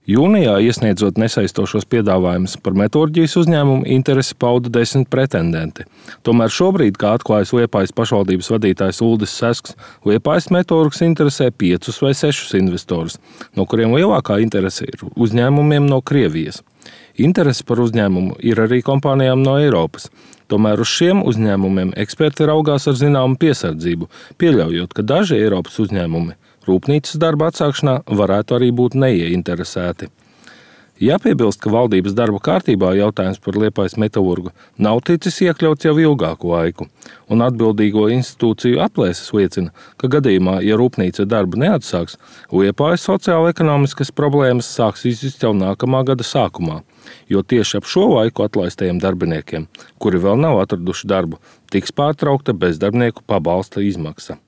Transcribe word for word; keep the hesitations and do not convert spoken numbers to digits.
Jūnijā, iesniedzot nesaistošos piedāvājumus par metalurģijas uzņēmumu, interesi pauda desmit pretendenti. Tomēr šobrīd, kā atklājas Liepājas pašvaldības vadītājs Uldis Sesks, Liepājas metalurgs interesē piecus vai sešus investorus, no kuriem lielākā interese ir uzņēmumiem no Krievijas. Interese par uzņēmumu ir arī kompānijām no Eiropas. Tomēr uz šiem uzņēmumiem eksperti raugās ar zināmu piesardzību, pieļaujot, ka daži Eiropas uzņēmumi rūpnīcas darba atsākšanā varētu arī būt neieinteresēti. Jāpiebilst, ka valdības darba kārtībā jautājums par Liepājas metalurgu nav ticis iekļauts jau ilgāku laiku, un atbildīgo institūciju aplēses liecina, ka gadījumā, ja rūpnīca darbu neatsāks, Liepājas sociālo-ekonomiskas problēmas sāks izjust jau nākamā gada sākumā, jo tieši ap šo laiku atlaistajiem darbiniekiem, kuri vēl nav atraduši darbu, tiks pārtraukta bezdarbnieku pabalsta izmaksa.